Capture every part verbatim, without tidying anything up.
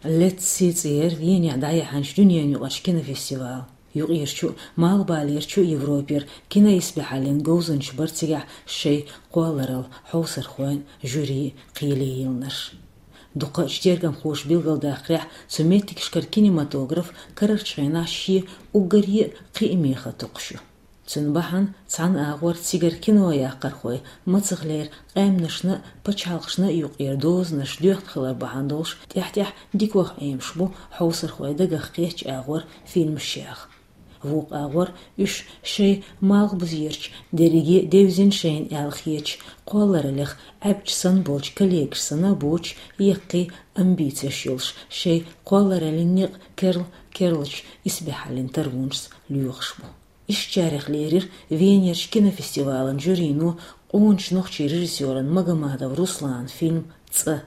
Лецци цӀера Венехь дӀаяхьанчу дуьненаюкъарчу кинофестивал. Юкъерчу а, малхбалерчу а Европера киноисбаьхьаллин говзанчаш бара цигахь шайн кхолларалла хьовсархойн а, жюрин а кхеле йиллинарш. Дукхачу тергамхоша билгалдаккхарехь, цу меттигашкара кинематограф карарчу хенахь шен уггаре а кхиаме хан токхуш ю. Цуьнан бахьана цхьана агӀор цигара кино яккхархой, мацахлера къаьмнашна а, пачхьалкхашна а юкъера дозанаш доьхна хилар бахьана долуш, тӀаьхь-тӀаьхьа дикох Ӏемаш бу хьовсархой дагах кхеттачу агӀор фильмаш яха. Вукху агӀор уьш шайн малхбузерчу, дерриге а девзина шайна аьлла хетачу кхоллараллех Ӏаьбча санна болчу коллегаш санна а боцуш, яккхий амбицеш йолуш, шайн кхоллараллин некъ керла-керлачу исбаьхьаллин тарвонашца лоьхуш бу. Ишттачарех лерира Венерчу кинофестивалан жюрино къоначу нохчийн режиссеран Магомадов Русланан фильм «ЦӀа».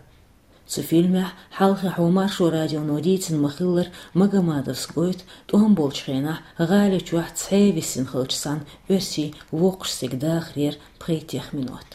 Цу фильмехь хьалххе-хьо Маршо радионо дийцина ма-хиллара, Магомадовс гойту тӀом болчу хенахь гӀали чохь цхьаъ висина хиллачу цхьана оьрсийн воккхачу стеган дахарера пхийтта-х минот.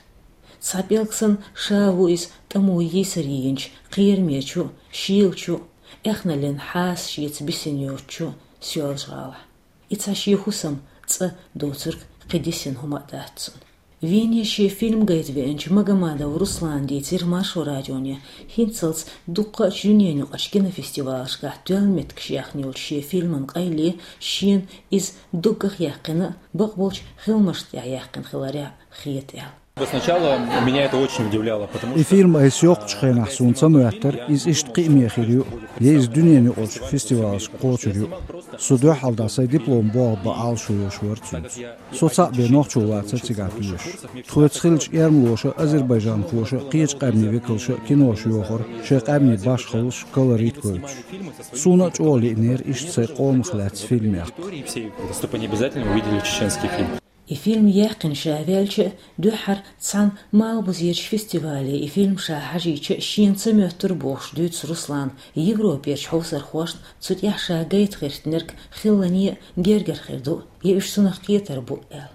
Цхьа пӀелг санна ша ву иза тӀамо йийсаре йинчу кхерамечу а, шийлачу а, эхналлин хьаса шеца бисина йоцучу а Соьлжа-ГӀалахь. И цхьа шен хӀусам, цӀа доцург кхин дисина хӀума а дац цуьнан. Вене шен фильм гайта веанчу Магомадов Руслана дийцира Маршо радионе, хӀинццалц дуккха а дуьненаюкъарчу кинофестивалашкахь тоьлла меттигаш яьхна йолчу шен фильман къайле шена иза доггах яьккхина а, бакъболчу хиламашна тӀехь яьккхина хиларехь хета аьлла. Сначала меня это очень удивляло, потому И что фильм айса йоккхучу хенахь суна ца моьттура, иза иштта кхиаме хир ю, я иза дуьненаюкъарчу фестивалашка кхочур ю. Со дуьххьал дӀа сайн диплом болх бан Ӏалашо йолуш вара цуьнца. Со цхьаъ бен нохчо вацара цигахь доьшуш. Тхоьца хиллачу эрмалоша а, азербайджанхоша а, кхечу къаьмнийн векалша а кинош йохура, шайн къаьмнийн башхаллаш, колорит гойтуш. Суна а чӀогӀа лиънера иштта сайн къомах лаьцна фильм яккха. Чтобы они обязательно увидели чеченский фильм. И фильм яьккхина ша ваьлча а, дуьххьара цхьана малхбузерчу фестивале и фильм ша хьажийча а шена ца моьттура бохуш дуьйцу Руслана, Европерчу хьовсархошна цу тӀехь ша гайта гӀиртинарг хиллане а гергара хир ду, я уьш цунах кхетар бу аьлла.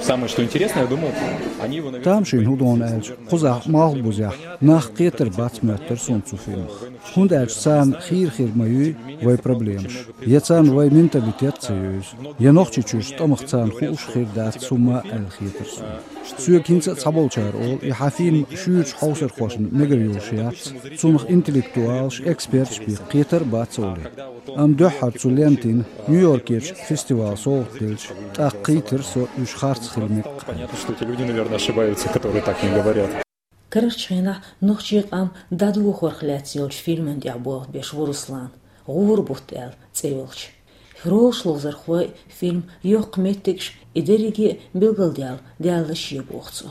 Самое, что интересное, я думал, они его, наверное... Тамашийна хӀун ду аьлча, кхузахь малхбузехь нах кхетар бац моьттура суна цу фильмах. ХӀунда аьлча царна хийра хир ма юй вайн проблемаш, я царна вайн менталитет ца евза, я Нохчийчуьрчу тӀамах царна хууш хир дац хӀумма аьлла хетара суна. Соьга хӀинца а цхьаболчара олу, и хьан фильм шуьйрачу хьовсархошна мегар йолуш яц, цунах интеллектуалаш, эксперташ бен кхетар а бац олий. Амма дуьххьара цу лентина Нью-Йоркерчу фестивале совгӀат делча, тӀаккха кхийтира со уьш харц хила мега аьлла. Понятно, что эти люди, наверное, ошибаются, которые так не говорят. Карарчу хенахь нохчийн къам дӀадохорх лаьцна йолчу фильман тӀехь болх беш ву Руслан, «ГӀура бутт» аьлла цӀе йолчу. Ролаш ловзархой а, фильм йоккха меттигаш а, и дерриге а билгалдаьлла даьлла шен боху цо.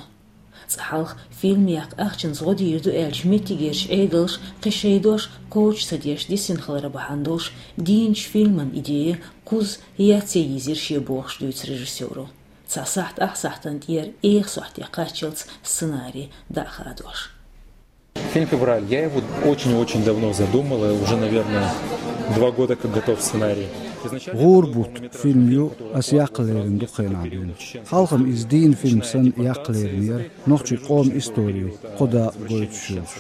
Цкъа хьалха фильм яккха ахчанца гӀо дийр ду аьлча, меттигерчу Ӏедалша кхин шайн дош кхочуш ца деш дисина хилар бахьана долуш, дийначу фильман идея кхузза яц йийзира шен бохуш дуьйцу режиссёро. Цхьа сахьт ах сахьтана тӀера эха сохьте кхаччалц сценарий дӀа а хадош. Фильм «Февраль». Я его очень-очень давно задумал, и уже, наверное, два года как готов сценарий. Изначально... «ГӀура бутт» фильм ю аса яккха лерина дукха хенахь дуьйна. Хьалха-м иза дийна фильм санна яккха леринера, нохчийн къоман истори кхо дакъа гойтуш йолуш.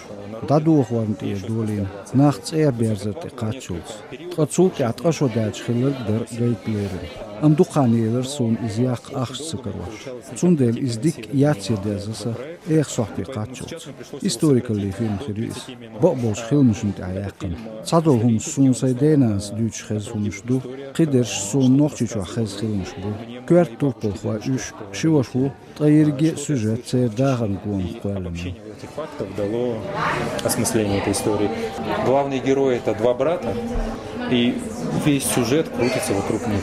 ДӀадохорна тӀера долийна, нах цӀа берзар тӀе кхаччалц. Ткъа цул тӀаьхьа ткъа шо даьлча хилларг а дара гайта лерина. Амма дукха хан елира суна иза яккха ахча ца карош. Цундела иза дикка яц я деза сан, эха сохьте кхаччалц. Историкаллин фильм хир ю иза. Бакъболчу хиламашна тӀехь яьккхина. Цхьадолу хӀумнаш суна сайн денанас дуьйцуш хезна хӀумнаш ду, кхидерш суна Нохчийчохь хезна хиламаш бу. Коьрта турпалхой уьш, ши ваша ву, ткъа ерриге а сюжет церан дахарна гонах кхоьллина ю. Этих фактов дало осмысление этой истории. Главные герои — это два брата, и весь сюжет крутится вокруг них.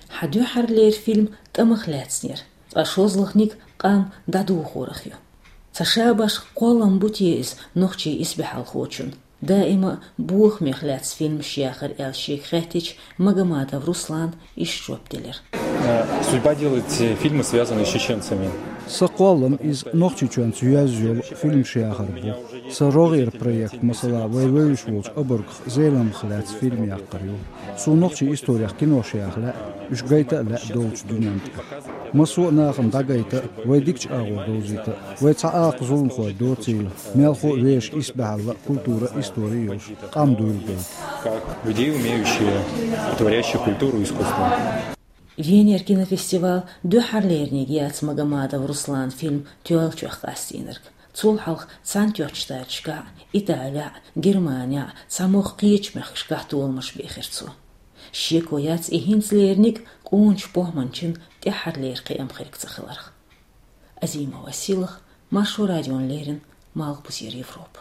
Хьан дуьххьарлера фильм тӀамах лаьцнера, ткъа шозлагӀниг къам дӀадохорах ю. Ца шабаш кхоллам бу те иза нохчийн исбаьхьалхочун? Даима а бохамех лаьцна фильмаш яхар аьлла шега хаьттича, Магомадов Руслана иштта жоп делира. Э, судьба делать, э, фильмы, связанные с чеченцами. Сан кхоллам иза Нохчийчоьнца йоьзна йолу фильмаш яхар бу. Сан рогӀера проект, масала, вай вевзаш волчу обаргах, Зеламхах лаьцна фильм яккхар ю. Суна нохчийн историх кинош яха лаьа, уьш гайта а лаьа долчу дуьненна тӀе. Массо а нахана дӀагайта а, вай дикачу агӀор довзийта а, вай цхьа акха зуламхой доцийла, мелхо а вешан исбаьхьалла а, культура а, истори а йолуш, къам дуйла гайта. Как людей, умеющие, творящие культуру, искусство. Венера кинофестиваль дуьххьарлерниг яц Магомадов Русланан фильм тоьллачех къастийнарг. Цул хьалха Цхьаьнатоьхначу Штаташкахь, Италехь, Германехь, цхьа могӀа кхечу мехкашкахь толамаш бехира цо. Шеко яц, и хӀинцалерниг къоначу похӀманчин тӀаьххьарлера кхиам хиларх ца хиларх. Азимова Силах, Маршо радиона леррина, Малхбузера Европа.